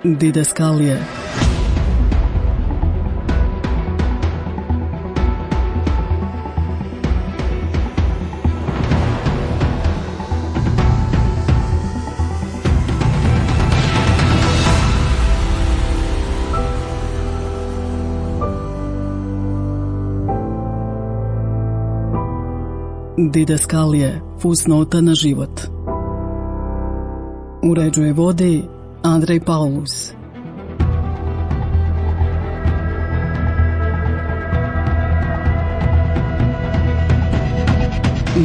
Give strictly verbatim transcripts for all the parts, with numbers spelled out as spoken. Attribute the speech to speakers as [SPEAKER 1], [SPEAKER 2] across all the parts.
[SPEAKER 1] Didaskalije. Didaskalije, fusnota na život. Uređuje vodi Andrej Paulus.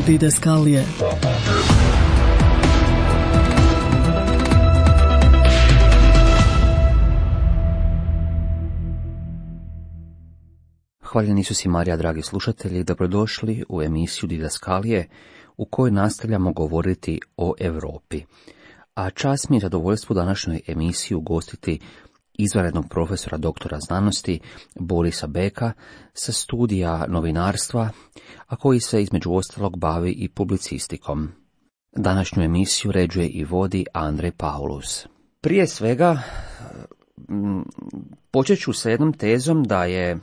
[SPEAKER 1] Didaskalije.
[SPEAKER 2] Hvaljeni Isus i Marija, dragi slušatelji, dobrodošli u emisiju Didaskalije u kojoj nastavljamo govoriti o Europi. A čast mi je zadovoljstvo današnjoj emisiji ugostiti izvanrednog profesora doktora znanosti Borisa Beka sa studija novinarstva, a koji se između ostalog bavi i publicistikom. Današnju emisiju ređuje i vodi Andrej Paulus. Prije svega počet ću sa jednom tezom da je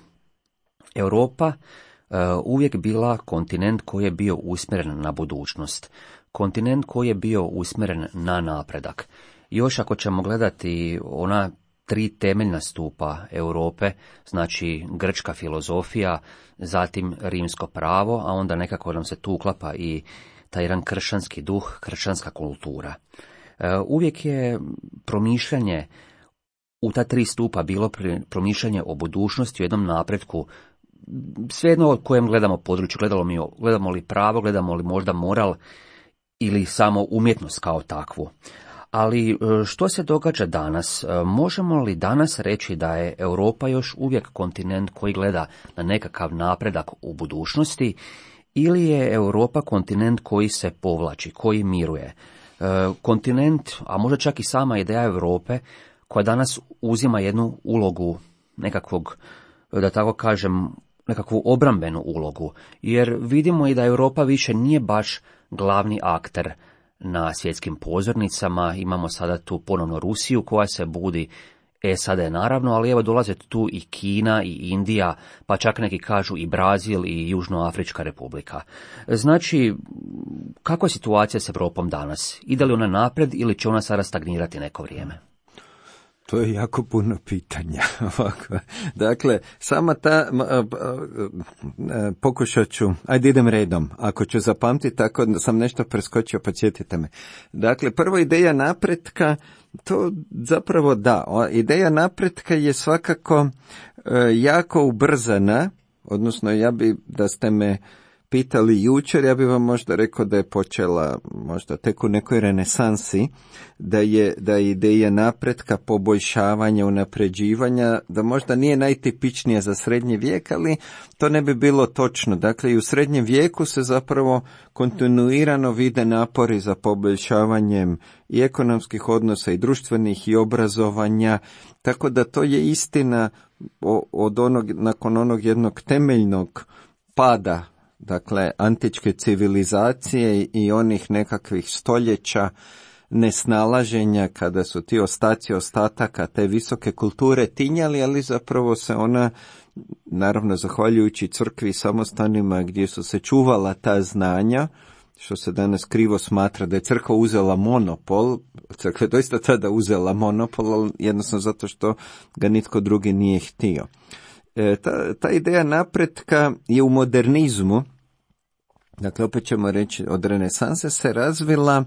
[SPEAKER 2] Europa uh, uvijek bila kontinent koji je bio usmjeren na budućnost, kontinent koji je bio usmjeren na napredak. Još ako ćemo gledati ona tri temeljna stupa Europe, znači grčka filozofija, zatim rimsko pravo, a onda nekako nam se tu uklapa i taj jedan kršćanski duh, kršćanska kultura. Uh, uvijek je promišljanje u ta tri stupa bilo promišljanje o budućnosti, o jednom napretku, svejedno o kojem gledamo području, gledamo, mi, gledamo li pravo, gledamo li možda moral ili samo umjetnost kao takvu. Ali što se događa danas? Možemo li danas reći da je Europa još uvijek kontinent koji gleda na nekakav napredak u budućnosti, ili je Europa kontinent koji se povlači, koji miruje? Kontinent, a možda čak i sama ideja Europe, koja danas uzima jednu ulogu nekakvog, da tako kažem, nekakvu obrambenu ulogu, jer vidimo i da Europa više nije baš glavni akter na svjetskim pozornicama. Imamo sada tu ponovno Rusiju koja se budi, S A D naravno, ali evo dolaze tu i Kina i Indija, pa čak neki kažu i Brazil i Južnoafrička republika. Znači, kakva je situacija s Europom danas? Ide li ona napred ili će ona sada stagnirati neko vrijeme?
[SPEAKER 3] To je jako puno pitanja. Dakle, sama ta, pokušat ću, ajde idem redom, ako ću zapamtiti, tako da sam nešto preskočio, podsjetite me. Dakle, prvo ideja napretka, to zapravo da, ideja napretka je svakako jako ubrzana, odnosno ja bi, da ste me pitali jučer, ja bih vam možda rekao da je počela možda tek u nekoj renesansi, da je, da je ideja napretka, poboljšavanja, unapređivanja, da možda nije najtipičnija za srednji vijek, ali to ne bi bilo točno. Dakle, i u srednjem vijeku se zapravo kontinuirano vide napori za poboljšavanjem i ekonomskih odnosa i društvenih i obrazovanja, tako da to je istina od onog, nakon onog jednog temeljnog pada, dakle, antičke civilizacije i onih nekakvih stoljeća nesnalaženja, kada su ti ostaci ostataka te visoke kulture tinjali, ali zapravo se ona, naravno zahvaljujući crkvi i samostanima gdje su se čuvala ta znanja, što se danas krivo smatra da je crkva uzela monopol, crkva je doista tada uzela monopol, ali jednostavno zato što ga nitko drugi nije htio. E, ta, ta ideja napretka je u modernizmu, dakle opet ćemo reći od renesanse, se razvila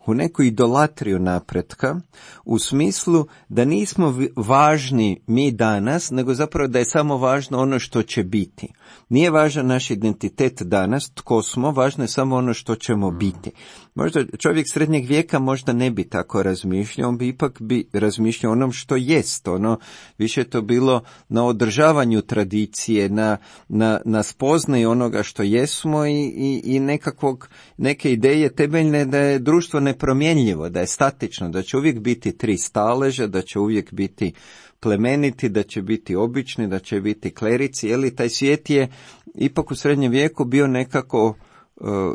[SPEAKER 3] u neku idolatriju napretka, u smislu da nismo važni mi danas, nego zapravo da je samo važno ono što će biti. Nije važan naš identitet danas, tko smo, važno je samo ono što ćemo biti. Možda čovjek srednjeg vijeka možda ne bi tako razmišljao, on bi ipak bi razmišljao onom što jest, ono, više je to bilo na održavanju tradicije, na, na, na spoznaji onoga što jesmo i, i, i nekakvog, neke ideje temeljne da je društvo nepromjenljivo, da je statično, da će uvijek biti tri staleža, da će uvijek biti plemeniti, da će biti obični, da će biti klerici, jer taj svijet je ipak u srednjem vijeku bio nekako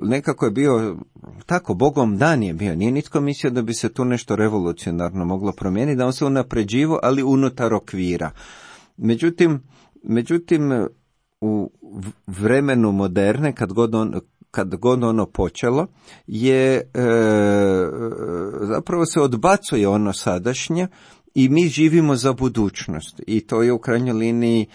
[SPEAKER 3] nekako je bio tako, Bogom dan je bio, nije nitko mislio da bi se tu nešto revolucionarno moglo promijeniti, da on se unapređivo, ali unutar okvira. Međutim, međutim u vremenu moderne, kad god, on, kad god ono počelo, je e, zapravo se odbacuje ono sadašnje i mi živimo za budućnost. I to je u krajnjoj liniji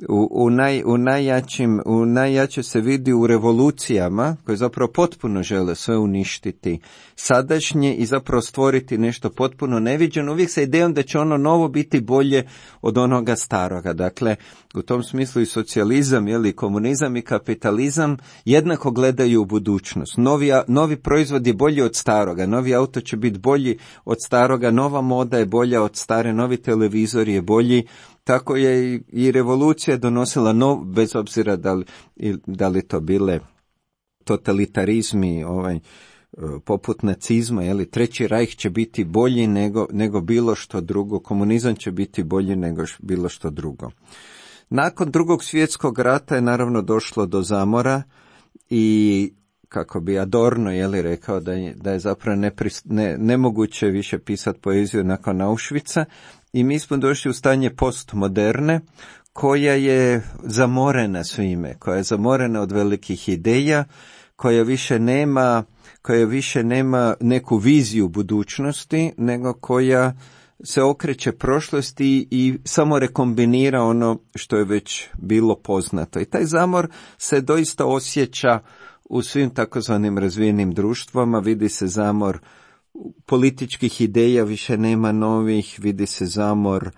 [SPEAKER 3] u, u, naj, u, najjačim, u najjače se vidi u revolucijama koje zapravo potpuno žele sve uništiti sadašnje i zapravo stvoriti nešto potpuno neviđeno, uvijek sa idejom da će ono novo biti bolje od onoga staroga. Dakle, u tom smislu i socijalizam, jeli, komunizam i kapitalizam jednako gledaju u budućnost. Novi, novi proizvod je bolji od staroga, novi auto će biti bolji od staroga, nova moda je bolja od stare, novi televizor je bolji. Tako je i, i revolucija donosila nov, bez obzira da li, da li to bile totalitarizmi, ovaj, poput nacizma, jeli, Treći rajh će biti bolji nego, nego bilo što drugo, komunizam će biti bolji nego bilo što drugo. Nakon Drugog svjetskog rata je naravno došlo do zamora i kako bi Adorno, jeli, rekao da je, da je zapravo nepris, ne, nemoguće više pisati poeziju nakon Auschwitza i mi smo došli u stanje postmoderne koja je zamorena svime, koja je zamorena od velikih ideja, koja više nema, koja više nema neku viziju budućnosti, nego koja se okreće prošlosti i samo rekombinira ono što je već bilo poznato. I taj zamor se doista osjeća u svim takozvanim razvijenim društvama, vidi se zamor političkih ideja, više nema novih, vidi se zamor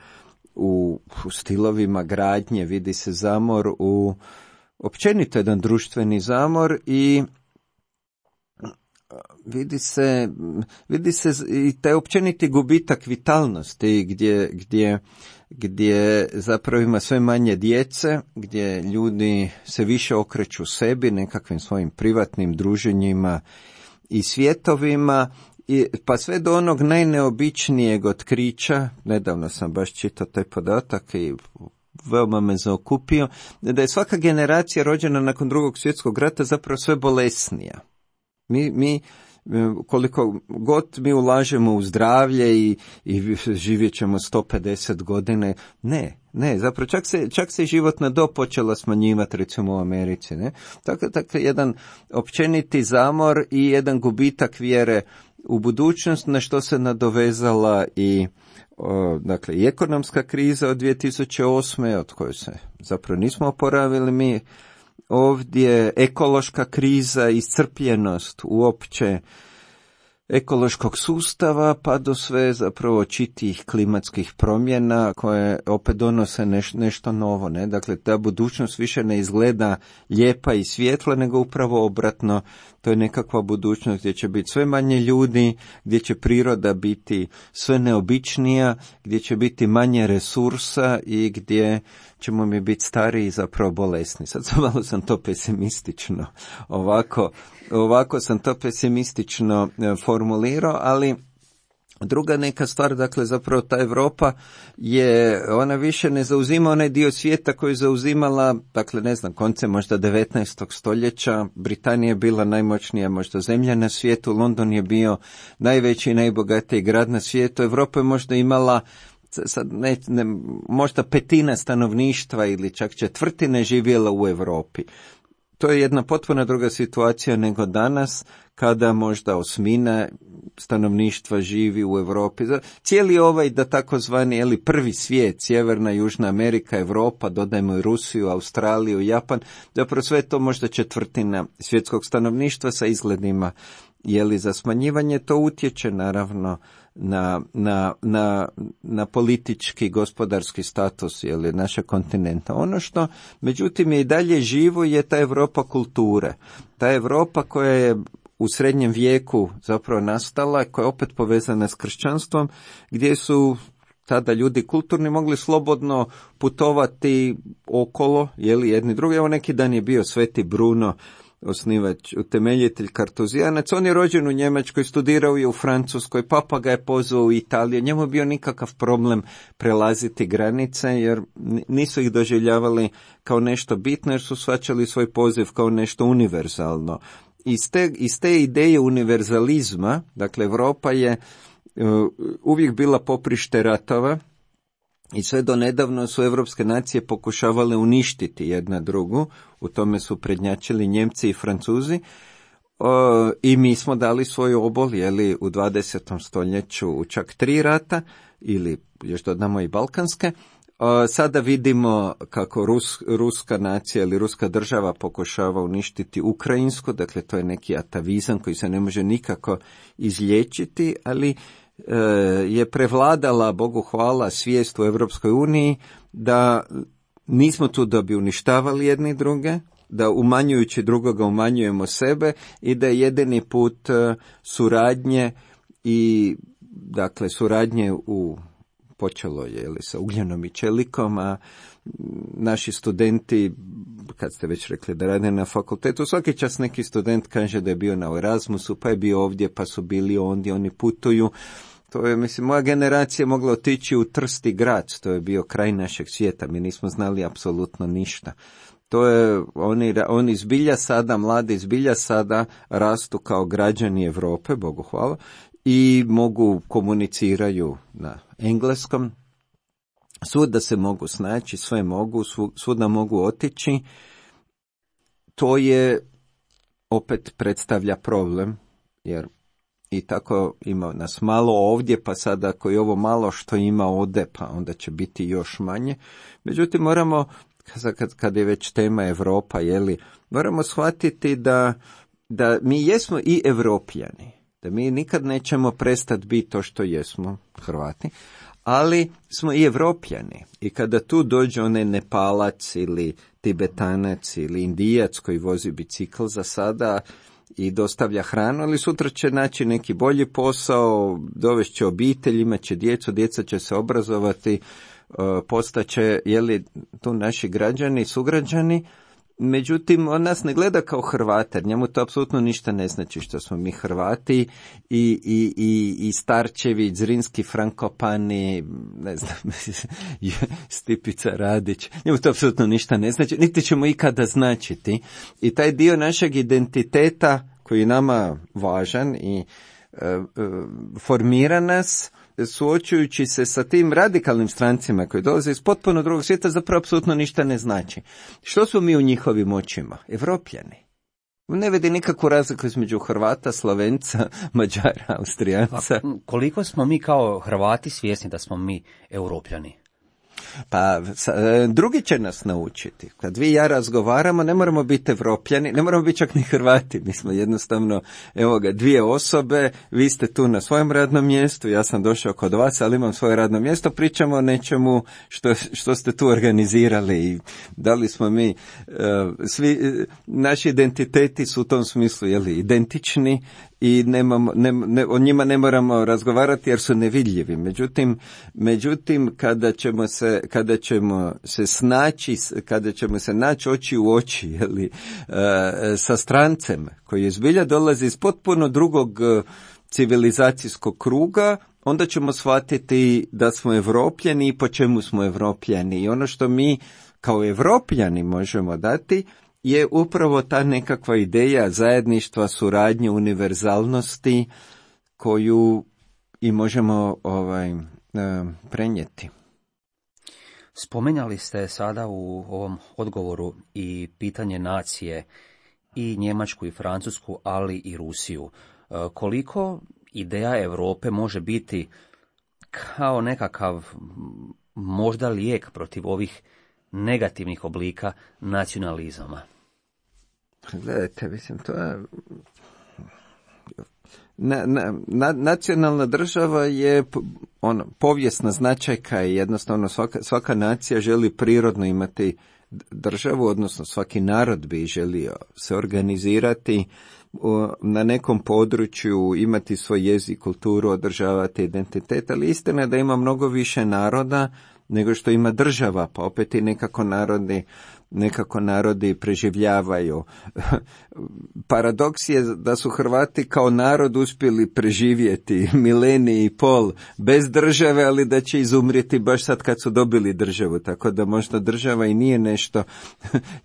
[SPEAKER 3] u, u stilovima gradnje, vidi se zamor u općenito jedan društveni zamor i vidi se, vidi se i taj općeniti gubitak vitalnosti gdje, gdje, gdje zapravo ima sve manje djece, gdje ljudi se više okreću sebi, nekakvim svojim privatnim druženjima i svjetovima, i, pa sve do onog najneobičnijeg otkrića. Nedavno sam baš čitao taj podatak i veoma me zaokupio, da je svaka generacija rođena nakon Drugog svjetskog rata zapravo sve bolesnija. Mi, mi koliko god mi ulažemo u zdravlje i, i živjet ćemo sto pedeset godine, ne, ne, zapravo čak se, čak se životna dob počela smanjivati, recimo u Americi, ne. Tako, tako jedan općeniti zamor i jedan gubitak vjere u budućnost, na što se nadovezala i o, dakle, i ekonomska kriza od dvije tisuće osme, od koje se zapravo nismo oporavili mi. Ovdje ekološka kriza, iscrpljenost uopće ekološkog sustava, pa do sve zapravo čitih klimatskih promjena koje opet donose neš, nešto novo. Ne? Dakle, ta budućnost više ne izgleda lijepa i svjetla, nego upravo obratno. To je nekakva budućnost gdje će biti sve manje ljudi, gdje će priroda biti sve neobičnija, gdje će biti manje resursa i gdje ćemo mi biti stariji i zapravo bolesni. Sad sam malo sam to pesimistično, ovako, ovako sam to pesimistično formulirao, ali druga neka stvar, dakle zapravo ta Europa je, ona više ne zauzima onaj dio svijeta koji je zauzimala, dakle ne znam, koncem možda devetnaestog stoljeća, Britanija je bila najmoćnija možda zemlja na svijetu, London je bio najveći i najbogatiji grad na svijetu, Europa je možda imala sad ne, ne, možda petina stanovništva ili čak četvrtine živjela u Europi. To je jedna potpuno druga situacija nego danas, kada možda osmina stanovništva živi u Europi. Cijeli ovaj, da takozvani, jeli, prvi svijet, Sjeverna, Južna Amerika, Europa, dodajmo i Rusiju, Australiju, Japan, zapravo sve to možda četvrtina svjetskog stanovništva sa izgledima, jeli, za smanjivanje. To utječe naravno na, na, na, na politički, gospodarski status, jeli, našeg kontinenta. Ono što, međutim, je i dalje živo je ta Europa kulture. Ta Europa koja je u srednjem vijeku zapravo nastala, koja je opet povezana s kršćanstvom, gdje su tada ljudi kulturni mogli slobodno putovati okolo, jeli, jedni drugi. Evo neki dan je bio Sveti Bruno, osnivač, utemeljitelj kartuzijanac. On je rođen u Njemačkoj, studirao je u Francuskoj, papa ga je pozvao u Italiju. Njemu je bio nikakav problem prelaziti granice, jer nisu ih doživljavali kao nešto bitno, jer su shvaćali svoj poziv kao nešto univerzalno. iz te, iz te ideje univerzalizma, dakle Europa je uh, uvijek bila poprište ratova i sve do nedavno su evropske nacije pokušavale uništiti jedna drugu, u tome su prednjačili Njemci i Francuzi. O, i mi smo dali svoju obol, jeli, u dvadesetom stoljeću u čak tri rata, ili još dodamo i balkanske. O, sada vidimo kako Rus, ruska nacija ili ruska država pokušava uništiti Ukrajinsku, dakle to je neki atavizam koji se ne može nikako izliječiti, ali e, je prevladala, Bogu hvala, svijest u Europskoj uniji da nismo tu da bi uništavali jedni druge, da umanjujući drugoga umanjujemo sebe i da je jedini put suradnje i dakle suradnje u počelo je li sa ugljenom i čelikom, a naši studenti, kad ste već rekli da rade na fakultetu, svaki čas neki student kaže da je bio na Erasmusu, pa je bio ovdje, pa su bili ondje, oni putuju. To je, mislim, moja generacija mogla otići u Trst i Graz, to je bio kraj našeg svijeta, mi nismo znali apsolutno ništa. To je, oni, oni zbilja sada, mladi zbilja sada rastu kao građani Europe, Bogu hvala, i mogu komuniciraju na engleskom, svuda se mogu snaći, sve mogu, svuda mogu otići. To je, opet predstavlja problem, jer i tako ima nas malo ovdje, pa sada ako je ovo malo što ima ode, pa onda će biti još manje. Međutim, moramo, kad, kad je već tema Europa, jeli, moramo shvatiti da, da mi jesmo i Evropljani, da mi nikad nećemo prestati biti to što jesmo, Hrvati, ali smo i Evropljani. I kada tu dođe onaj Nepalac ili Tibetanac ili Indijac koji vozi bicikl za sada i dostavlja hranu, ali sutra će naći neki bolji posao, dovešće obitelj, imat će djecu, djeca će se obrazovati, postaće, jeli, tu naši građani, sugrađani. Međutim, on nas ne gleda kao Hrvate, jer njemu to apsolutno ništa ne znači što smo mi Hrvati i, i, i, i Starčevi, Zrinski, Frankopani, ne znam, Stipica Radić, njemu to apsolutno ništa ne znači, niti ćemo ikada značiti. I taj dio našeg identiteta koji je nama važan i e, e, formira nas, suočujući se sa tim radikalnim strancima koji dolaze iz potpuno drugog svijeta, zapravo apsolutno ništa ne znači. Što smo mi u njihovim očima? Evropljani. Ne vidi nikakvu razliku između Hrvata, Slovenca, Mađara, Austrijanca.
[SPEAKER 2] A koliko smo mi kao Hrvati svjesni da smo mi Europljani?
[SPEAKER 3] Pa, drugi će nas naučiti. Kad vi i ja razgovaramo, ne moramo biti Evropljani, ne moramo biti čak ni Hrvati. Mi smo jednostavno, evo ga, dvije osobe, vi ste tu na svojem radnom mjestu, ja sam došao kod vas, ali imam svoje radno mjesto, pričamo o nečemu što, što ste tu organizirali i da li smo mi, uh, svi, naši identiteti su u tom smislu, jeli, identični, i nemamo, ne, ne, o njima ne moramo razgovarati jer su nevidljivi. Međutim, međutim kada ćemo se, kada ćemo se snaći, kada ćemo se naći oči u oči, jeli, e, sa strancem koji zbilja dolazi iz potpuno drugog civilizacijskog kruga, onda ćemo shvatiti da smo Evropljani i po čemu smo Evropljani. I ono što mi kao Evropljani možemo dati je upravo ta nekakva ideja zajedništva, suradnje, univerzalnosti koju i možemo ovaj, prenijeti.
[SPEAKER 2] Spomenjali ste sada u ovom odgovoru i pitanje nacije, i Njemačku i Francusku, ali i Rusiju. Koliko ideja Europe može biti kao nekakav možda lijek protiv ovih negativnih oblika nacionalizama?
[SPEAKER 3] Gledajte, mislim, to je... Na, na, na, nacionalna država je ono, povijesna značajka i jednostavno svaka, svaka nacija želi prirodno imati državu, odnosno svaki narod bi želio se organizirati na nekom području, imati svoj jezik, kulturu, održavati identitet, ali istina je da ima mnogo više naroda nego što ima država, pa opet i nekako narodi nekako narodi preživljavaju. Paradoks je da su Hrvati kao narod uspjeli preživjeti milenij i pol bez države, ali da će izumrijeti baš sad kad su dobili državu, tako da možda država i nije nešto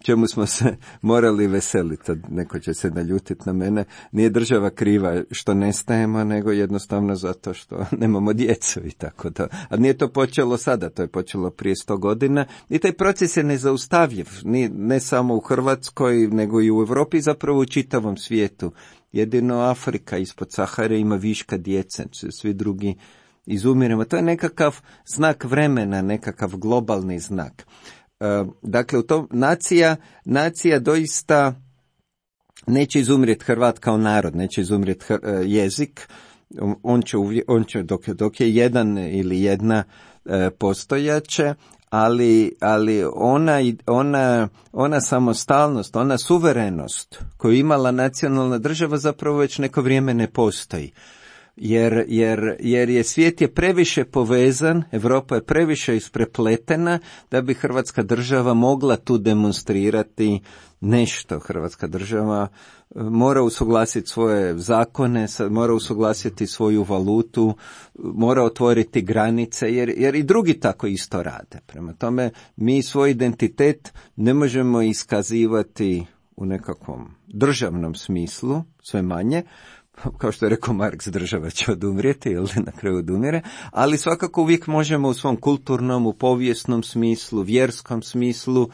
[SPEAKER 3] čemu smo se morali veseliti. Neko će se naljutiti na mene. Nije država kriva što nestajemo, nego jednostavno zato što nemamo djecu i tako da. A nije to počelo sada, to je počelo prije sto godina i taj proces je nezaustavljiv, ne, ne samo u Hrvatskoj, nego i u Europi, zapravo u čitavom svijetu. Jedino Afrika ispod Sahare ima viška djece, svi drugi izumiremo. To je nekakav znak vremena, nekakav globalni znak. Dakle, u tom nacija, nacija doista neće izumrijeti Hrvat kao narod, neće izumrijeti jezik, on će, uvje, on će dok, dok je jedan ili jedna postojaće, ali, ali ona, ona, ona samostalnost, ona suverenost koju imala nacionalna država zapravo već neko vrijeme ne postoji. Jer, jer, jer je svijet je previše povezan, Europa je previše isprepletena da bi Hrvatska država mogla tu demonstrirati nešto. Hrvatska država mora usuglasiti svoje zakone, mora usuglasiti svoju valutu, mora otvoriti granice, jer, jer i drugi tako isto rade. Prema tome, mi svoj identitet ne možemo iskazivati u nekakvom državnom smislu, sve manje, kao što je rekao Marks, država će odumrijeti ili na kraju odumire, ali svakako uvijek možemo u svom kulturnom, u povijesnom smislu, vjerskom smislu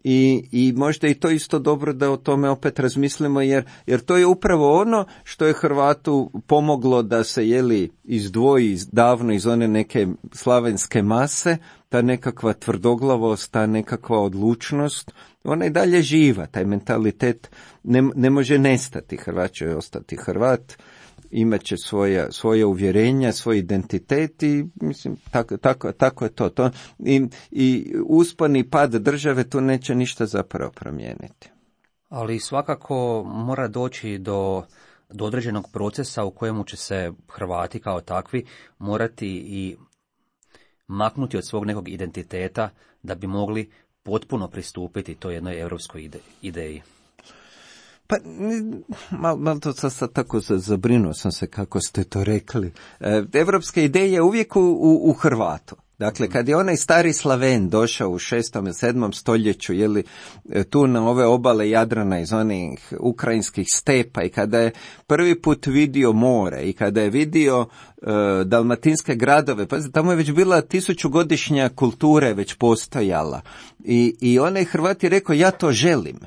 [SPEAKER 3] i, i možda i to isto dobro da o tome opet razmislimo, jer, jer to je upravo ono što je Hrvatu pomoglo da se jeli izdvoji davno iz one neke slavenske mase, ta nekakva tvrdoglavost, ta nekakva odlučnost, ona je dalje živa, taj mentalitet ne, ne može nestati. Hrvat će ostati Hrvat, imat će svoja, svoja uvjerenja, svoj identitet i mislim, tako, tako, tako je to. to i, I uspon i pad države tu neće ništa zapravo promijeniti.
[SPEAKER 2] Ali svakako mora doći do, do određenog procesa u kojemu će se Hrvati kao takvi morati i maknuti od svog nekog identiteta da bi mogli potpuno pristupiti toj jednoj europskoj ide, ideji.
[SPEAKER 3] Pa, malo mal to sad, sad tako zabrinuo sam se kako ste to rekli. E, evropska ideja je uvijek u, u, u Hrvatu. Dakle, kad je onaj stari Slaven došao u šestom i sedmom stoljeću, jeli, tu na ove obale Jadrana iz onih ukrajinskih stepa i kada je prvi put vidio more i kada je vidio uh, dalmatinske gradove, pa tamo je već bila tisućugodišnja kultura je već postojala. I, i onaj Hrvat je rekao, ja to želim.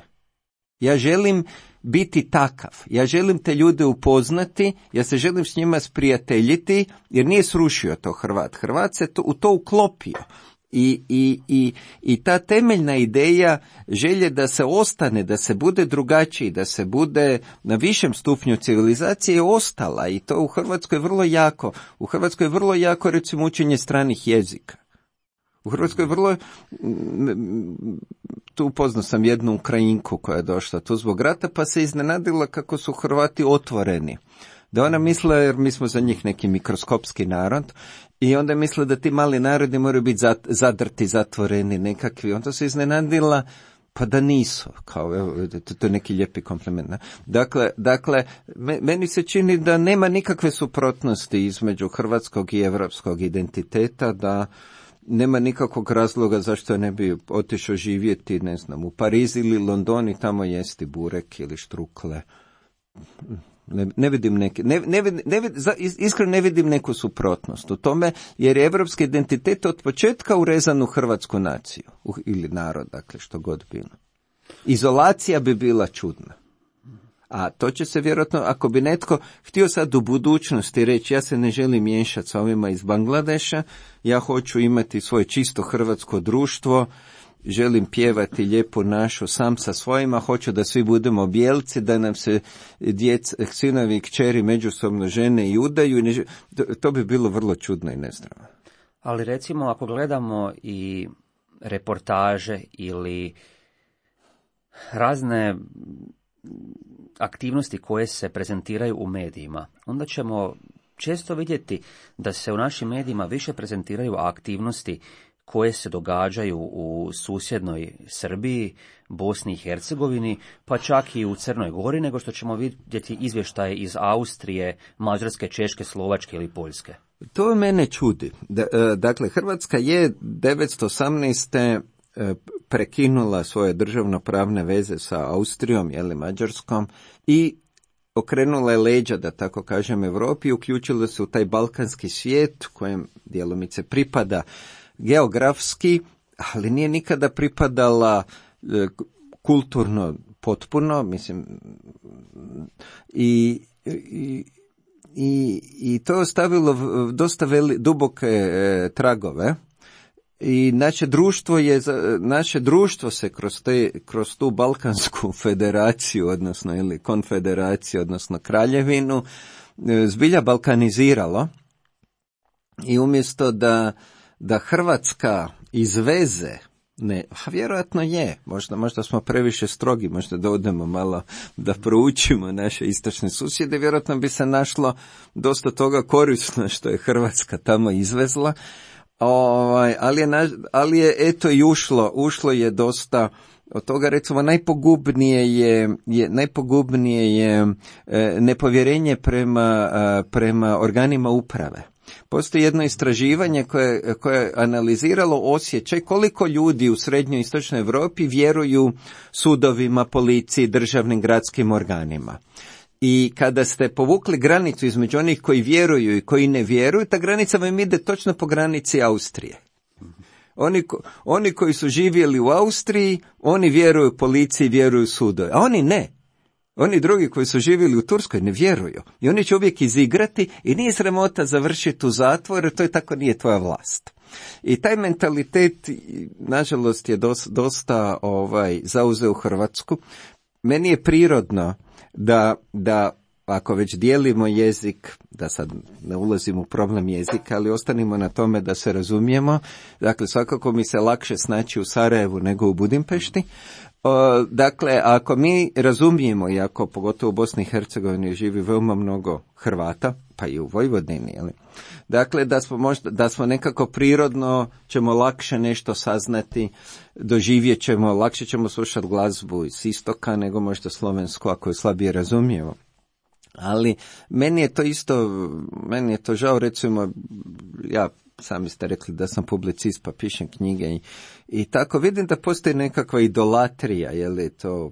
[SPEAKER 3] Ja želim biti takav. Ja želim te ljude upoznati, ja se želim s njima sprijateljiti, jer nije srušio to Hrvat. Hrvat se to, u to uklopio. I, i, i, i ta temeljna ideja želje da se ostane, da se bude drugačiji, da se bude na višem stupnju civilizacije je ostala i to u Hrvatskoj je vrlo jako. U Hrvatskoj je vrlo jako recimo učenje stranih jezika. U Hrvatskoj je vrlo, tu upoznao sam jednu Ukrajinku koja je došla tu zbog rata, pa se iznenadila kako su Hrvati otvoreni. Da ona misle, jer mi smo za njih neki mikroskopski narod, i onda je misle da ti mali narodi moraju biti zadrti, zatvoreni, nekakvi. Onda se iznenadila, pa da nisu, kao, evo, to, to je neki lijepi kompliment. Ne? Dakle, dakle, meni se čini da nema nikakve suprotnosti između hrvatskog i evropskog identiteta, da nema nikakvog razloga zašto ne bi otišao živjeti, ne znam, u Pariz ili London i tamo jesti burek ili štrukle. Ne, ne vidim neke, ne, ne, ne, iskreno ne vidim neku suprotnost u tome, jer je evropski identitet od početka urezan u hrvatsku naciju, u, ili narod, dakle, što god bilo. Izolacija bi bila čudna. A to će se vjerojatno, ako bi netko htio sad u budućnosti reći, ja se ne želim miješati sa ovima iz Bangladeša, ja hoću imati svoje čisto hrvatsko društvo, želim pjevati lijepu našu sam sa svojima, hoću da svi budemo bijelci, da nam se djec, sinovi i kćeri međusobno žene i udaju, ne, to, to bi bilo vrlo čudno i nezdravo.
[SPEAKER 2] Ali recimo ako gledamo i reportaže ili razne aktivnosti koje se prezentiraju u medijima, onda ćemo često vidjeti da se u našim medijima više prezentiraju aktivnosti koje se događaju u susjednoj Srbiji, Bosni i Hercegovini, pa čak i u Crnoj Gori, nego što ćemo vidjeti izvještaje iz Austrije, Mađarske, Češke, Slovačke ili Poljske.
[SPEAKER 3] To mene čudi. Dakle, Hrvatska je devetsto osamnaeste prekinula svoje državnopravne veze sa Austrijom ili Mađarskom i okrenula je leđa, da tako kažem, Europi i uključila se u taj balkanski svijet kojem djelomice pripada geografski, ali nije nikada pripadala e, kulturno potpuno, mislim, i, i, i, i to je ostavilo dosta veli, duboke e, tragove. I naše društvo je, naše društvo se kroz, te, kroz tu Balkansku federaciju, odnosno ili konfederaciju, odnosno kraljevinu, zbilja balkaniziralo. I umjesto da, da Hrvatska izveze, ne, a vjerojatno je, možda, možda smo previše strogi, možda da odemo malo da proučimo naše istočne susjede, vjerojatno bi se našlo dosta toga korisno što je Hrvatska tamo izvezla. Ovaj, ali, je, ali je eto i ušlo, ušlo je dosta od toga, recimo najpogubnije je, je, najpogubnije je e, nepovjerenje prema, a, prema organima uprave. Postoji jedno istraživanje koje, koje je analiziralo osjećaj koliko ljudi u srednjoj i istočnoj Europi vjeruju sudovima, policiji, državnim gradskim organima. I kada ste povukli granicu između onih koji vjeruju i koji ne vjeruju, ta granica vam ide točno po granici Austrije. Oni, oni koji su živjeli u Austriji, oni vjeruju policiji, vjeruju sudovi, a oni ne. Oni drugi koji su živjeli u Turskoj ne vjeruju. I oni će uvijek izigrati i nije sramota završiti u zatvoru, to je tako, nije tvoja vlast. I taj mentalitet, nažalost, je dosta, dosta ovaj, zauzeo Hrvatsku. Meni je prirodno da, da ako već dijelimo jezik, da sad ne ulazimo u problem jezika, ali ostanimo na tome da se razumijemo, dakle svakako mi se lakše snaći u Sarajevu nego u Budimpešti. O, dakle, ako mi razumijemo, i ako pogotovo u Bosni i Hercegovini živi veoma mnogo Hrvata, pa i u Vojvodini, jeli? Dakle, da smo možda, da smo nekako prirodno ćemo lakše nešto saznati, doživjet ćemo, lakše ćemo slušati glazbu iz istoka nego možda slovensku ako je slabije razumijemo. Ali meni je to isto, meni je to žao, recimo, ja sami ste rekli da sam publicist pa pišem knjige i, i tako vidim da postoji nekakva idolatrija, je li to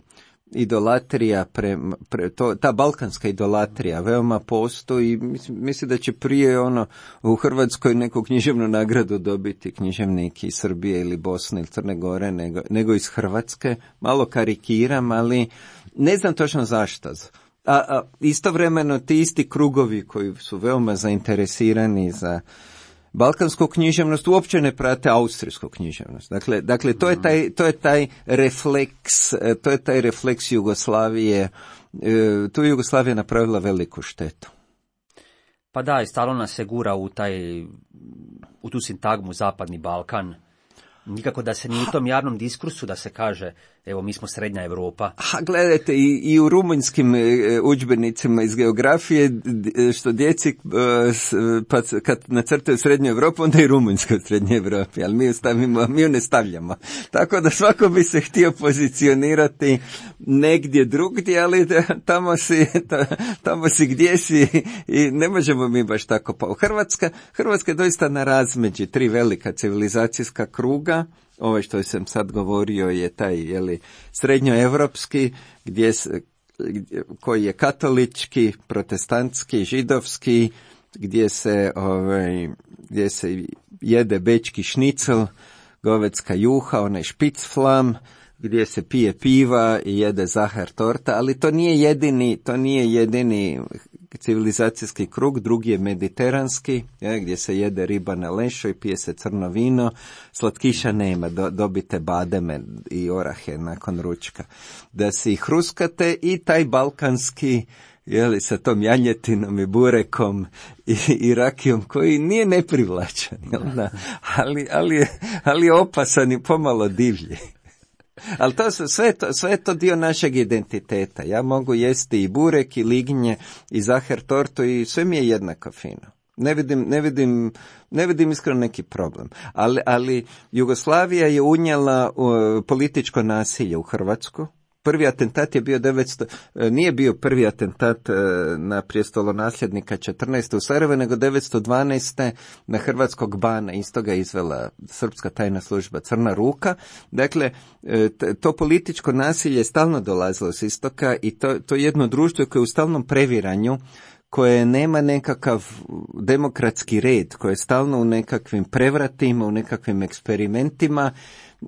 [SPEAKER 3] idolatrija, pre, pre, to, ta balkanska idolatrija veoma postoji. Mislim, mislim da će prije ono u Hrvatskoj neku književnu nagradu dobiti književnik iz Srbije ili Bosne ili Crne Gore nego, nego iz Hrvatske. Malo karikiram, ali ne znam točno zašto. A, a istovremeno ti isti krugovi koji su veoma zainteresirani za balkansku književnost uopće ne prate austrijsku književnost. Dakle, dakle to je taj, to je taj refleks, to je taj refleks Jugoslavije. Tu je Jugoslavija napravila veliku štetu.
[SPEAKER 2] Pa da, i stalno nas se gura u taj, u tu sintagmu Zapadni Balkan. Nikako da se ni u tom javnom diskursu da se kaže, evo mi smo srednja Europa.
[SPEAKER 3] A gledajte, i, i u rumunjskim e, udžbenicima iz geografije, što djeci, e, pa kad nacrtaju srednju Europu, onda i Rumunjska u srednjoj Europi, ali mi ju, stavimo, mi ju ne stavljamo. Tako da svako bi se htio pozicionirati negdje drugdje, ali tamo si, tamo si gdje si i ne možemo mi baš tako. Pa Hrvatska, Hrvatska je doista na razmeđi tri velika civilizacijska kruga. Ovo što sam sad govorio je taj, jeli, srednjoevropski, gdje, koji je katolički, protestantski, židovski, gdje se, ovaj, gdje se jede bečki šnicel, govedska juha, onaj špicflam, gdje se pije piva i jede zahar torta, ali to nije jedini, to nije jedini civilizacijski krug, drugi je mediteranski, je, gdje se jede riba na lešo i pije se crno vino, slatkiša nema, do, dobite bademe i orahe nakon ručka. Da si ih hruskate i taj balkanski, jeli, sa tom janjetinom i burekom i, i rakijom koji nije neprivlačan, jel da? Ali, ali, ali je opasan i pomalo divlji. Ali to su, sve, to, sve je to dio našeg identiteta. Ja mogu jesti i burek, i lignje, i zahar tortu i sve mi je jednako fino. Ne vidim, ne vidim, ne vidim iskreno neki problem. Ali, ali Jugoslavija je unijela uh, političko nasilje u Hrvatsku. Prvi atentat je bio devetsto, nije bio prvi atentat uh, na prijestolonasljednika četrnaeste u Sarajevu, nego devetsto dvanaeste na hrvatskog bana, isto ga izvela srpska tajna služba Crna ruka. Dakle, to političko nasilje je stalno dolazilo s istoka i to, to je jedno društvo koje je u stalnom previranju, koje nema nekakav demokratski red, koje je stalno u nekakvim prevratima, u nekakvim eksperimentima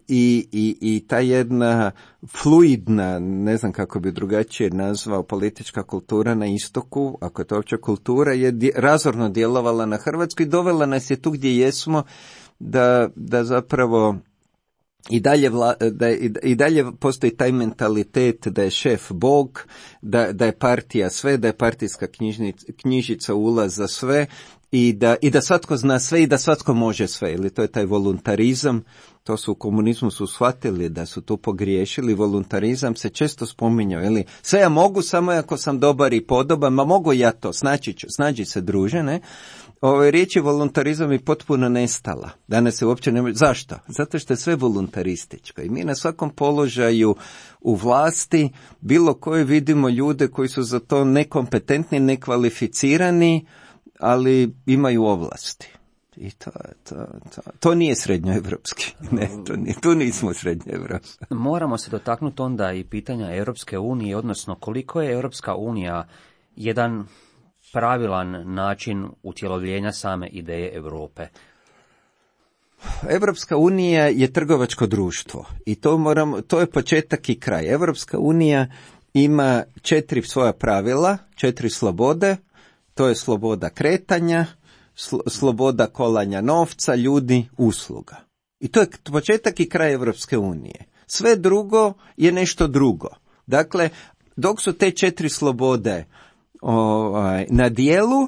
[SPEAKER 3] i, i, i ta jedna fluidna, ne znam kako bi drugačije nazvao, politička kultura na istoku, ako je to uopće kultura, je dje, razorno djelovala na Hrvatsku i dovela nas je tu gdje jesmo, da, da zapravo I dalje, vla, da je, i dalje postoji taj mentalitet da je šef Bog, da, da je partija sve, da je partijska knjižnica, knjižica ulaz za sve i da, i da svatko zna sve i da svatko može sve. Ili to je taj voluntarizam, to su u komunizmu su shvatili da su tu pogriješili, voluntarizam se često spominjao, ili sve ja mogu samo ako sam dobar i podoban, ma mogu ja to, snaći ću, snađi se druže, ne? Ove riječi voluntarizam je potpuno nestala. Danas se uopće ne može. Zašto? Zato što je sve voluntarističko. I mi na svakom položaju u vlasti, bilo koje vidimo ljude koji su za to nekompetentni, nekvalificirani, ali imaju ovlasti. I to, to, to, to nije srednjoevropski. Ne, to nije, tu nismo srednjoevropski.
[SPEAKER 2] Moramo se dotaknuti onda i pitanja Europske unije, odnosno koliko je Europska unija jedan pravilan način utjelovljenja same ideje Europe.
[SPEAKER 3] Europska unija je trgovačko društvo i to moramo, to je početak i kraj. Europska unija ima četiri svoja pravila, četiri slobode, to je sloboda kretanja, sl- sloboda kolanja novca, ljudi, usluga. I to je početak i kraj Europske unije. Sve drugo je nešto drugo. Dakle, dok su te četiri slobode Ovaj, na dijelu,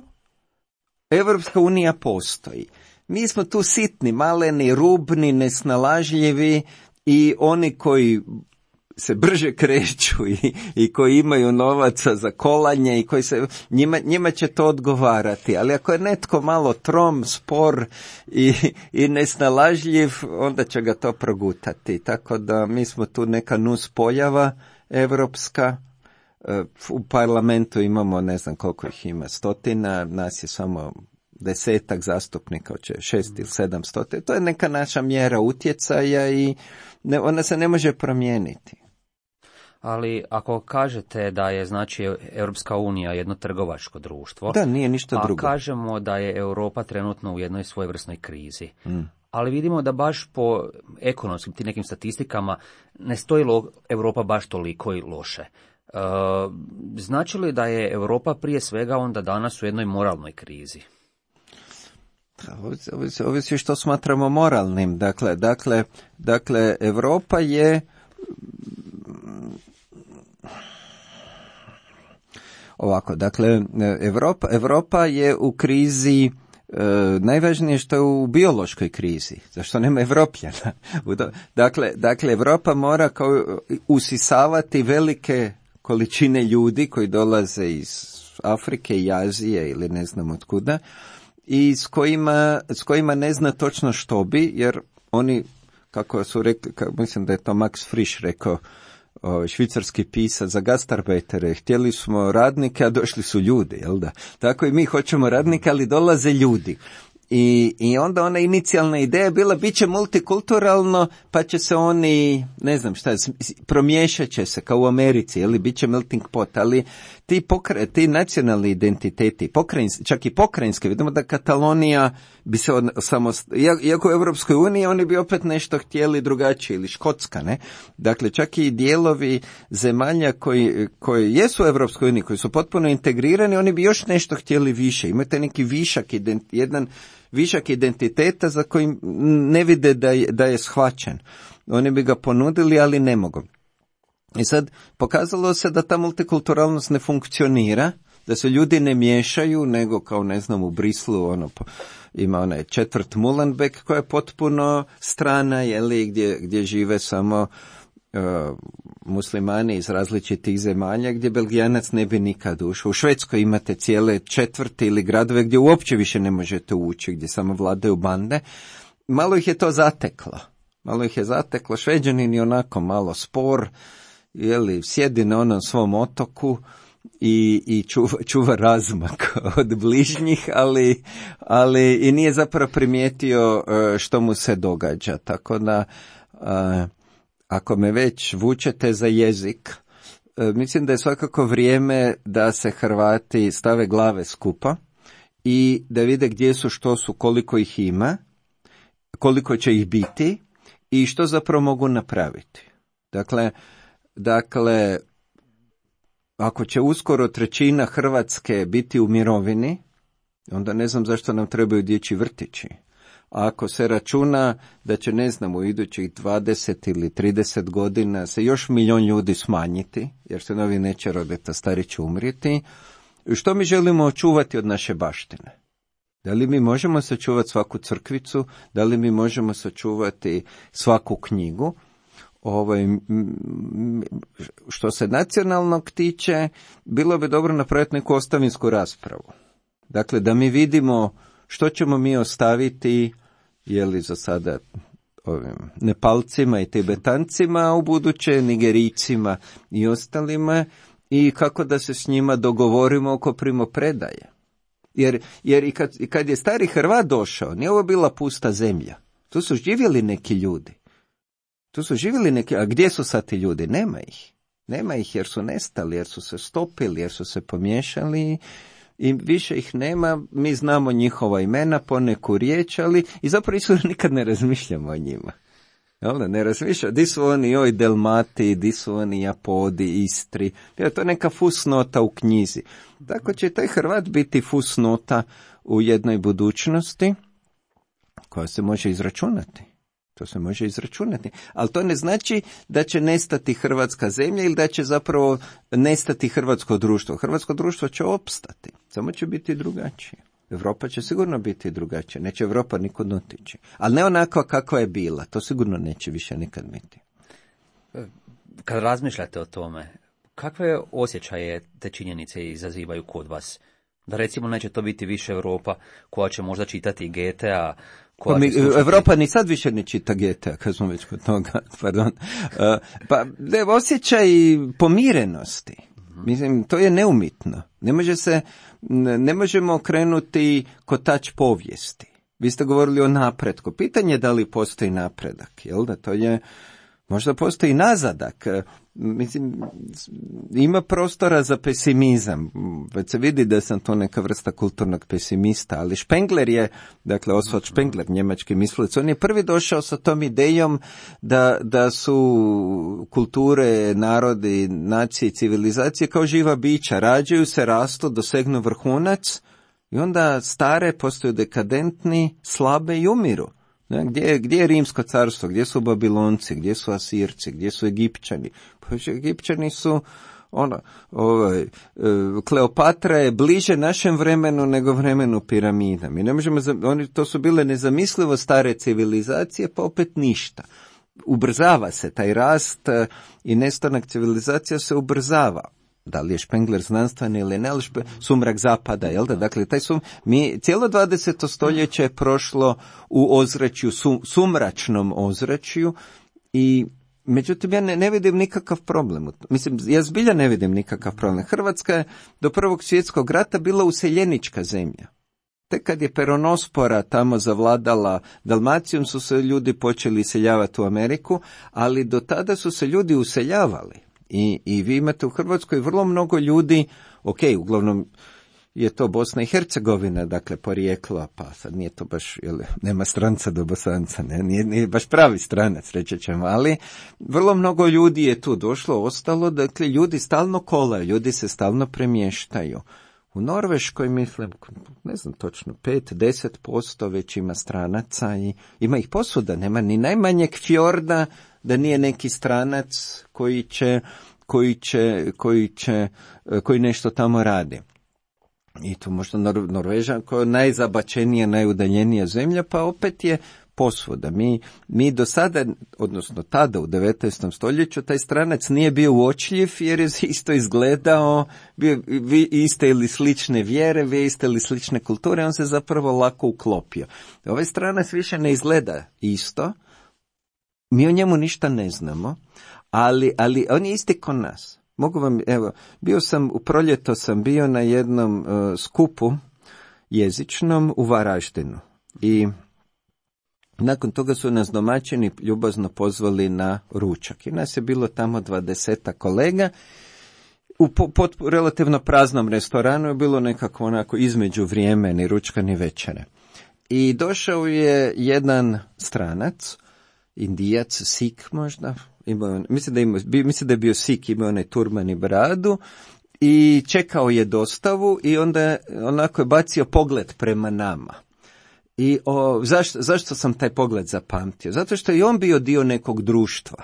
[SPEAKER 3] Europska unija postoji. Mi smo tu sitni, maleni, rubni, nesnalažljivi i oni koji se brže kreću i, i koji imaju novaca za kolanje i koji se, njima, njima će to odgovarati. Ali ako je netko malo trom, spor i, i nesnalažljiv, onda će ga to progutati. Tako da mi smo tu neka nus pojava europska. U parlamentu imamo, ne znam koliko ih ima, stotina, nas je samo desetak zastupnika, oće šest ili sedam stotina. To je neka naša mjera utjecaja i ne, ona se ne može promijeniti.
[SPEAKER 2] Ali ako kažete da je znači Europska unija jedno trgovačko društvo,
[SPEAKER 3] da, nije ništa drugo.
[SPEAKER 2] A kažemo da je Europa trenutno u jednoj svojevrsnoj krizi. Mm. Ali vidimo da baš po ekonomskim tim nekim statistikama ne stoji lo, Europa baš toliko i loše. E, znači li da je Europa prije svega onda danas u jednoj moralnoj krizi?
[SPEAKER 3] Ovisi, ovisi što smatramo moralnim. Dakle, dakle, dakle, Europa je ovako, dakle, Europa, Europa je u krizi. E, najvažnije što je u biološkoj krizi, zašto nema Evropljana. Dakle, dakle, Europa mora kao usisavati velike količine ljudi koji dolaze iz Afrike i Azije ili ne znam od kuda i s kojima, s kojima ne zna točno što bi, jer oni, kako su rekli, kako, mislim da je to Max Frisch rekao, o, švicarski pisac za gastarbajtere, htjeli smo radnike, a došli su ljudi, jel da? Tako i mi hoćemo radnike, ali dolaze ljudi. I, i onda ona inicijalna ideja je bila bit će multikulturalno, pa će se oni, ne znam šta, promiješat će se kao u Americi, ili bit će melting pot, ali ti, pokre, ti nacionalni identiteti, pokrajinski, čak i pokrajinske, vidimo da Katalonija bi se od, samo, iako u Europskoj uniji, oni bi opet nešto htjeli drugačije, ili Škotska, ne? Dakle, čak i dijelovi zemalja koji, koji jesu u Europskoj uniji, koji su potpuno integrirani, oni bi još nešto htjeli više, imate neki višak, ident, jedan višak identiteta za koji ne vide da je, da je shvaćen. Oni bi ga ponudili, ali ne mogu. I sad pokazalo se da ta multikulturalnost ne funkcionira, da se ljudi ne miješaju, nego kao ne znam u Brislu ono, ima onaj četvrt Molenbeek koja je potpuno strana, jeli, gdje, gdje žive samo uh, muslimani iz različitih zemalja gdje Belgijanac ne bi nikad ušao. U Švedskoj imate cijele četvrti ili gradove gdje uopće više ne možete ući, gdje samo vladaju bande. Malo ih je to zateklo. Malo ih je zateklo. Šveđanin je onako malo spor, jeli, sjedi na onom svom otoku i, i čuva, čuva razmak od bližnjih, ali, ali i nije zapravo primijetio što mu se događa. Tako da, ako me već vučete za jezik, mislim da je svakako vrijeme da se Hrvati stave glave skupa i da vide gdje su, što su, koliko ih ima, koliko će ih biti i što zapravo mogu napraviti. Dakle, dakle, ako će uskoro trećina Hrvatske biti u mirovini, onda ne znam zašto nam trebaju dječji vrtići. A ako se računa da će, ne znam, u idućih dvadeset ili trideset godina se još milion ljudi smanjiti, jer se novi neće roditi, a stari će umrijeti, što mi želimo očuvati od naše baštine? Da li mi možemo sačuvati svaku crkvicu? Da li mi možemo sačuvati svaku knjigu? Ovaj, što se nacionalnog tiče, bilo bi dobro napraviti neku ostavinsku raspravu. Dakle, da mi vidimo što ćemo mi ostaviti, je li za sada ovim Nepalcima i Tibetancima, a u buduće Nigerijcima i ostalima, i kako da se s njima dogovorimo oko primopredaje. Jer, jer i, kad, i kad je stari Hrvat došao, nije ovo bila pusta zemlja. Tu su živjeli neki ljudi. Tu su živjeli neki, a gdje su sad ti ljudi? Nema ih. Nema ih jer su nestali, jer su se stopili, jer su se pomiješali i više ih nema. Mi znamo njihova imena, poneku riječ, ali i zapravo isu nikad ne razmišljamo o njima. Jel, ne razmišljamo, di su oni, oj, Delmati, di su oni Japodi, Istri. Ja, to je neka fusnota u knjizi. Tako će taj Hrvat biti fusnota u jednoj budućnosti koja se može izračunati. To se može izračunati. Ali to ne znači da će nestati hrvatska zemlja ili da će zapravo nestati hrvatsko društvo. Hrvatsko društvo će opstati, samo će biti drugačije. Europa će sigurno biti drugačija. Neće Europa nikud otići. Ali ne onako kakva je bila. To sigurno neće više nikad biti.
[SPEAKER 2] Kad razmišljate o tome, kakve osjećaje te činjenice izazivaju kod vas? Da recimo neće to biti više Europa koja će možda čitati Goethea.
[SPEAKER 3] Pa mi, Europa ni sad više ne čita Goethea, kad smo već kod toga, pardon. Uh, pa ne, osjećaj pomirenosti. Mislim, to je neumitno. Ne može se, ne možemo okrenuti kotač povijesti. Vi ste govorili o napretku. Pitanje je da li postoji napredak, jel da? To je, možda postoji nazadak. Mislim, ima prostora za pesimizam. Već se vidi da sam to neka vrsta kulturnog pesimista, ali Spengler je, dakle Oswald Spengler, njemački mislilac, on je prvi došao sa tom idejom da, da su kulture, narodi, nacije, civilizacije kao živa bića, rađaju se, rastu, dosegnu vrhunac i onda stare postaju dekadentni, slabe i umiru. Gdje, gdje je Rimsko carstvo, gdje su Babilonci, gdje su Asirci, gdje su Egipćani? Pa Egipćani su, ono, ovaj, Kleopatra je bliže našem vremenu nego vremenu piramida. Mi ne možemo, oni, to su bile nezamislivo stare civilizacije, pa opet ništa. Ubrzava se taj rast i nestanak civilizacija se ubrzava. Da li je Spengler znanstveni ili ne, ali špe, sumrak zapada, jel da? Dakle, taj sum, mi, cijelo dvadeseto stoljeće je prošlo u ozračju, sum, sumračnom ozračju i međutim ja ne, ne vidim nikakav problem. Mislim, ja zbilja ne vidim nikakav problem. Hrvatska je do Prvog svjetskog rata bila useljenička zemlja. Tek kad je peronospora tamo zavladala Dalmacijom su se ljudi počeli iseljavati u Ameriku, ali do tada su se ljudi useljavali. I, I vi imate u Hrvatskoj vrlo mnogo ljudi, ok, uglavnom je to Bosna i Hercegovina, dakle porijeklo, pa sad nije to baš, jel, nema stranca do Bosanca, ne, nije, nije baš pravi stranac, reći ćemo, ali vrlo mnogo ljudi je tu došlo, ostalo, dakle ljudi stalno kolaju, ljudi se stalno premještaju. U Norveškoj, mislim, ne znam točno, pet do deset posto već ima stranaca i ima ih posuda, nema ni najmanjeg fjorda da nije neki stranac koji će, koji će, koji će, koji nešto tamo radi. I to možda Nor- Norvežan koja je najzabačenija, najudaljenija zemlja, pa opet je posvuda. Mi, mi do sada, odnosno tada u devetnaestom stoljeću, taj stranac nije bio uočljiv jer je isto izgledao, bio vi iste ili slične vjere, vi iste ili slične kulture, on se zapravo lako uklopio. Ovaj stranac više ne izgleda isto, mi o njemu ništa ne znamo, ali, ali on je isti ko nas. Mogu vam, evo, bio sam, u proljeto sam bio na jednom uh, skupu jezičnom u Varaždinu i nakon toga su nas domaćini ljubazno pozvali na ručak. I nas je bilo tamo dvadesetak kolega. U po, pod relativno praznom restoranu je bilo nekako onako između vrijeme ni ručka ni večere. I došao je jedan stranac, Indijac, Sik možda, imao, mislim, da imao, mislim da je bio Sik, imao onaj turban i bradu i čekao je dostavu i onda onako je bacio pogled prema nama. I o, zašto, zašto sam taj pogled zapamtio? Zato što je on bio dio nekog društva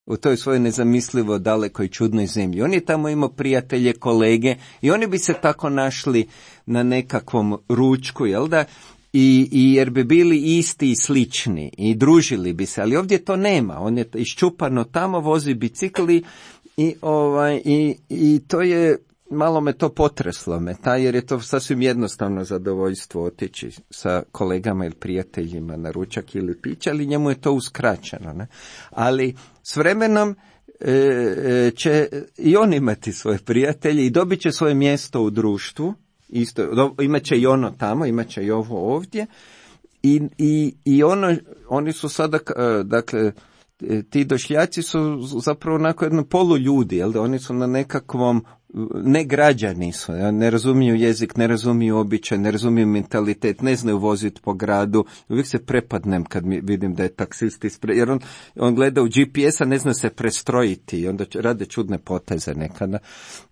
[SPEAKER 3] u toj svojoj nezamislivo dalekoj čudnoj zemlji. On je tamo imao prijatelje, kolege i oni bi se tako našli na nekakvom ručku, jel da? I, i jer bi bili isti i slični i družili bi se, ali ovdje to nema. On je iščupano tamo, vozi bicikli i, ovaj, i, i to je, malo me to potreslo me, ta, jer je to sasvim jednostavno zadovoljstvo otići sa kolegama ili prijateljima na ručak ili piće, ali njemu je to uskraćeno. Ne? Ali s vremenom e, će i on imati svoje prijatelje i dobit će svoje mjesto u društvu. Isto, imat će i ono tamo, imat će i ovo ovdje i, i, i ono, oni su sada, dakle, ti došljaci su zapravo onako jedno poluljudi, jel da oni su na nekakvom, ne građani su, ne razumiju jezik, ne razumiju običaj, ne razumiju mentalitet, ne znaju voziti po gradu, uvijek se prepadnem kad mi vidim da je taksist ispred, jer on, on gleda u G P S-a, ne zna se prestrojiti i onda rade čudne poteze nekada.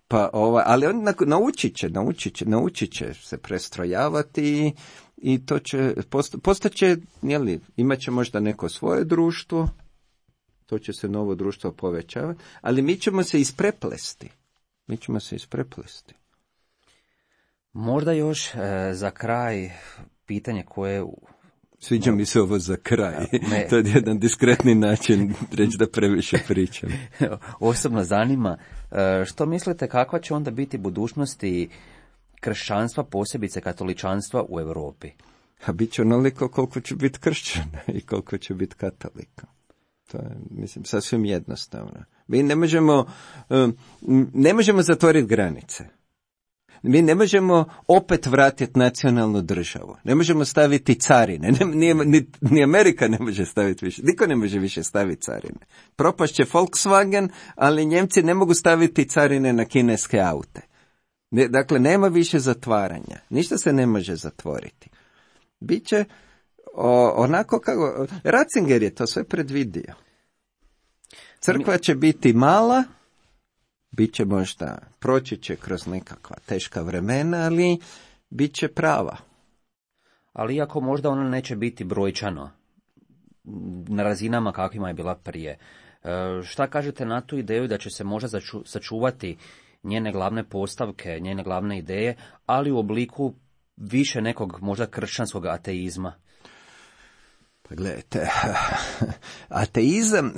[SPEAKER 3] Pa, ovaj, ali on naučit će, naučit će, naučit će se prestrojavati i, i to će, posta, postaće, jeli, imat će možda neko svoje društvo, to će se novo društvo povećavati, ali mi ćemo se ispreplesti. Mi ćemo se ispreplesti.
[SPEAKER 2] Možda još e, za kraj pitanje koje...
[SPEAKER 3] Sviđa mi se ovo za kraj. Me... To je jedan diskretni način reći da previše pričam.
[SPEAKER 2] Osobno zanima, što mislite kakva će onda biti budućnosti kršćanstva, posebice katoličanstva u Europi?
[SPEAKER 3] A bit će onoliko koliko će biti kršćana i koliko će biti katolika. To je, mislim, sasvim jednostavno. Mi ne možemo, ne možemo zatvoriti granice. Mi ne možemo opet vratiti nacionalnu državu. Ne možemo staviti carine. Ni, ni, ni Amerika ne može staviti više. Niko ne može više staviti carine. Propašće Volkswagen, ali Njemci ne mogu staviti carine na kineske aute. Ne, dakle, nema više zatvaranja. Ništa se ne može zatvoriti. Biće o, onako kako... Ratzinger je to sve predvidio. Crkva će biti mala, bit će možda, proći će kroz nekakva teška vremena, ali bit će prava.
[SPEAKER 2] Ali iako možda ona neće biti brojčano na razinama kakvima je bila prije. E, šta kažete na tu ideju da će se možda začu, sačuvati njene glavne postavke, njene glavne ideje, ali u obliku više nekog možda kršćanskog ateizma?
[SPEAKER 3] Pa gledajte, ateizam,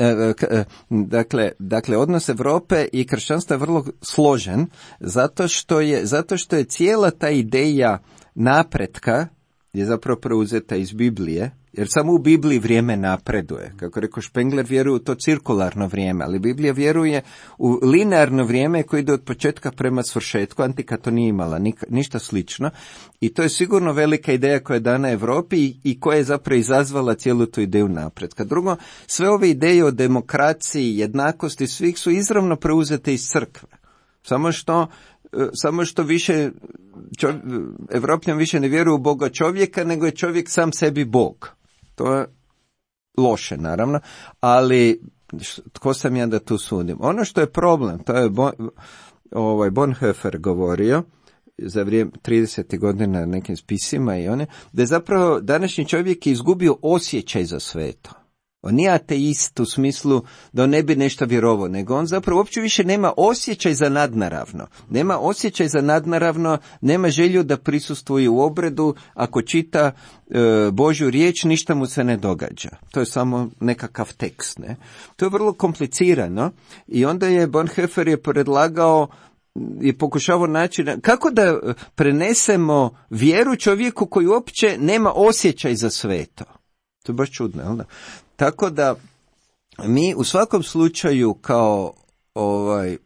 [SPEAKER 3] dakle, dakle, odnos Europe i kršćanstva je vrlo složen, zato što je, zato što je cijela ta ideja napretka je zapravo preuzeta iz Biblije, jer samo u Bibliji vrijeme napreduje. Kako rekao Spengler, vjeruje u to cirkularno vrijeme, ali Biblija vjeruje u linearno vrijeme koje ide od početka prema svršetku. Antika to nije imala ništa slično i to je sigurno velika ideja koja je dana Europi i, i koja je zapravo izazvala cijelu tu ideju napretka. Drugo, sve ove ideje o demokraciji, jednakosti, svih su izravno preuzete iz crkve. Samo što Samo što više, čov, Evropljan više ne vjeruje u Boga čovjeka, nego je čovjek sam sebi Bog. To je loše, naravno, ali tko sam ja da tu sudim? Ono što je problem, to je bon, ovaj Bonhoeffer govorio za vrijeme tridesetih godina nekim spisima i one, da je zapravo današnji čovjek izgubio osjećaj za sveto. On nije ateist u smislu da on ne bi nešto vjerovao, nego on zapravo uopće više nema osjećaj za nadnaravno. Nema osjećaj za nadnaravno, nema želju da prisustvuje u obredu, ako čita e, Božju riječ, ništa mu se ne događa. To je samo nekakav tekst. Ne? To je vrlo komplicirano i onda je Bonhoeffer je predlagao i pokušavao naći kako da prenesemo vjeru čovjeku koji uopće nema osjećaj za sveto. To je baš čudno, jel da? Tako da mi u svakom slučaju kao ovaj,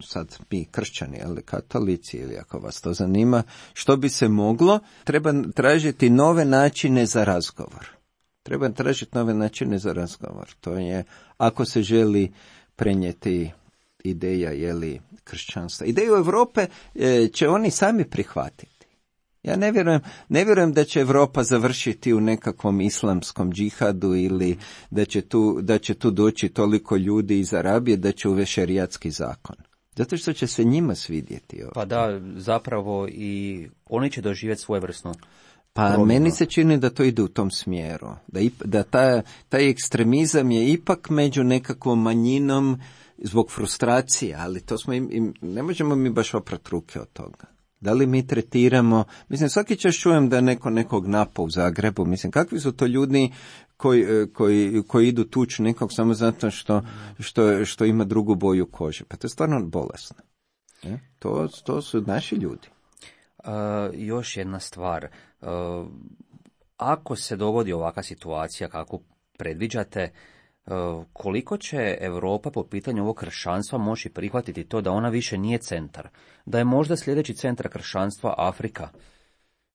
[SPEAKER 3] sad mi kršćani, ali katolici, ili ako vas to zanima, što bi se moglo, treba tražiti nove načine za razgovor. Treba tražiti nove načine za razgovor. To je, ako se želi prenijeti ideja, jeli, kršćanstva. Ideju Europe e, će oni sami prihvatiti. Ja ne vjerujem, ne vjerujem da će Europa završiti u nekakvom islamskom džihadu ili da će tu, da će tu doći toliko ljudi iz Arabije da će uvesti šerijatski zakon. Zato što će se njima svidjeti ovo.
[SPEAKER 2] Pa da, zapravo i oni će doživjeti svojevrsnu
[SPEAKER 3] Pa promjenu. Meni se čini da to ide u tom smjeru. Da, ip, da ta, taj ekstremizam je ipak među nekakvom manjinom zbog frustracije, ali to smo im, im, ne možemo mi baš oprati ruke od toga. Da li mi tretiramo, mislim svaki čas čujem da neko nekog napa u Zagrebu, mislim kakvi su to ljudi koji, koji, koji idu tući nekog samo zato što, što, što ima drugu boju kože, pa to je stvarno bolesno. E? To, to su naši ljudi.
[SPEAKER 2] Uh, još jedna stvar, uh, ako se dogodi ovakva situacija kako predviđate, uh, koliko će Europa po pitanju ovog kršćanstva moći prihvatiti to da ona više nije centar, da je možda sljedeći centar kršćanstva Afrika?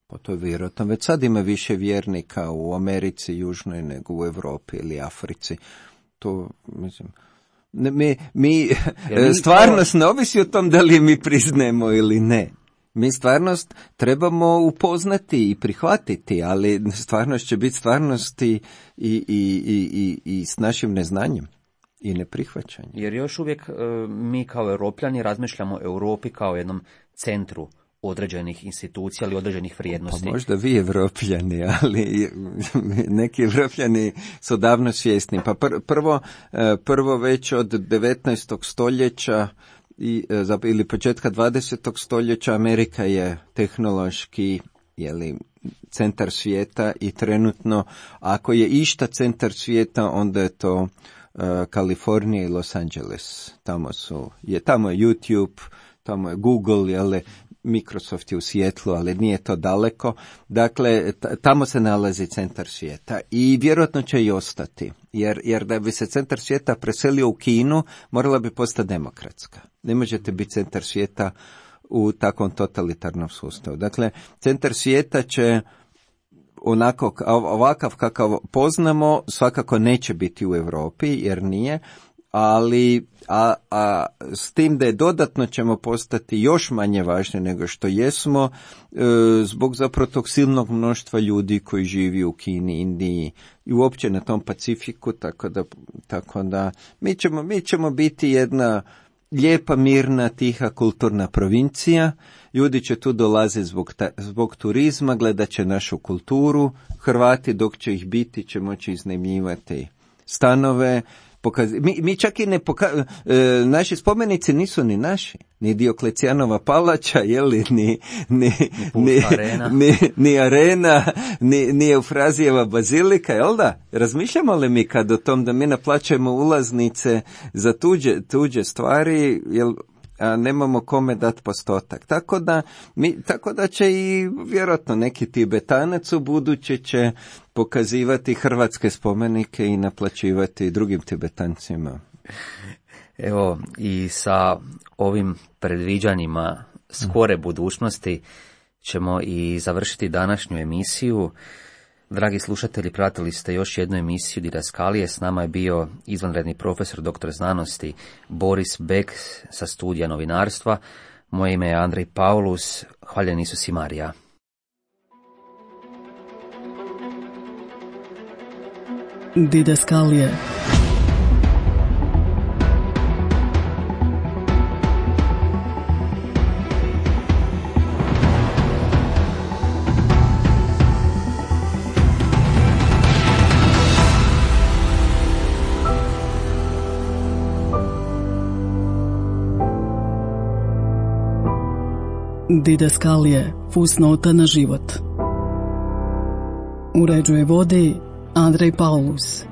[SPEAKER 3] Pa to je vjerojatno, već sad ima više vjernika u Americi južnoj nego u Europi ili Africi, to mislim... Ne, mi, mi, mi stvarnost to... ne ovisi o tom da li mi priznajemo ili ne. Mi stvarnost trebamo upoznati i prihvatiti, ali stvarnost će biti stvarnost i, i, i, i, i s našim neznanjem i neprihvaćanjem.
[SPEAKER 2] Jer još uvijek mi kao Europljani razmišljamo o Europi kao jednom centru određenih institucija ili određenih vrijednosti.
[SPEAKER 3] Pa možda vi Europljani, ali neki Europljani su davno svjesni. Pa pr- prvo, prvo već od devetnaestog stoljeća I, ili početka dvadesetog stoljeća Amerika je tehnološki jeli, centar svijeta i trenutno ako je išta centar svijeta onda je to uh, Kalifornija i Los Angeles. Tamo su, je, tamo je YouTube, tamo je Google, jeli, Microsoft je u Sijetlu, ali nije to daleko. Dakle, t- tamo se nalazi centar svijeta i vjerojatno će i ostati. Jer, jer da bi se centar svijeta preselio u Kinu, morala bi postati demokratska. Ne možete biti centar svijeta u takvom totalitarnom sustavu. Dakle, centar svijeta će onako, ovakav kakav poznamo, svakako neće biti u Europi, jer nije, ali a, a s tim da je dodatno ćemo postati još manje važni nego što jesmo, e, zbog zapravo tog silnog mnoštva ljudi koji živi u Kini, Indiji i uopće na tom Pacifiku, tako da, tako da mi ćemo, mi ćemo biti jedna lijepa, mirna, tiha, kulturna provincija. Ljudi će tu dolaziti zbog, ta, zbog turizma, gledat će našu kulturu. Hrvati, dok će ih biti, će moći iznajmljivati stanove. Pokaz... Mi, mi čak i ne poka... e, naši spomenici nisu ni naši, ni Dioklecijanova palača, jeli, ni, ni, ni, arena. ni, ni arena, ni, ni Eufrazijeva bazilika, jel da? Razmišljamo li mi kad o tom da mi naplaćujemo ulaznice za tuđe, tuđe stvari, jel, a nemamo kome dati postotak. Tako da, mi, tako da će i vjerojatno neki Tibetanac u buduće će pokazivati hrvatske spomenike i naplaćivati drugim Tibetancima.
[SPEAKER 2] Evo, i sa ovim predviđanjima skore budućnosti ćemo i završiti današnju emisiju. Dragi slušatelji, pratili ste još jednu emisiju Didaskalije. S nama je bio izvanredni profesor doktor znanosti Boris Bek sa studija novinarstva. Moje ime je Andrej Paulus. Hvaljen Isus i Marija.
[SPEAKER 1] Didaskalije. Didaskalije, fusnota na život. Uređuje vodi Andrej Paulus.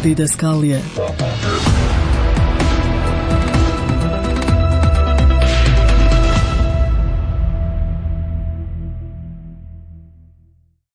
[SPEAKER 1] Didaskalije.